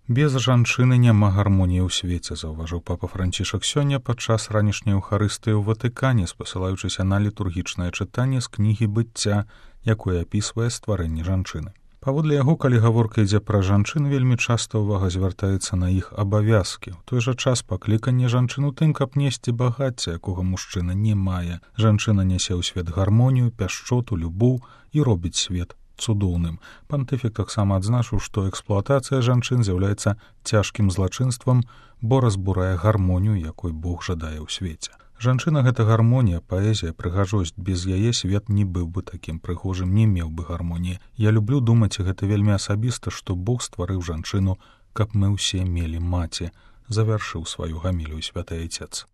Без жанчыны няма гармоніі ў свеце, заўважыў папа Францішак сёння падчас ранішняй еўхарыстыі ў Ватыкане, спасылаючыся на літургічнае чытанне з кнігі быцця, якое апісвае стварэнне жанчыны. Паводле яго, калі гаворка ідзе пра жанчын, вельмі часта ўвага звяртаецца на іх абавязкі. У той жа час пакліканне жанчын у тым, каб несці багацце, якога мужчына не мае. Жанчына нясе ў свет гармонію, пяшчоту, любоў і робіць свет цудоўным. Пантыфік таксама адзначыў, што эксплуатацыя жанчын з'яўляецца цяжкім злачынствам, бо разбурае гармонію, якой Бог жадае ў свеце. Жанчына — гэта гармонія, паэзія, прыгажосць. Без яе свет не быў бы такім прыгожым, не меў бы гармоніі. Я люблю думаць, гэта вельмі асабіста, што Бог стварыў жанчыну, каб мы ўсе мелі маці, завяршыў сваю гамілію святы айцец.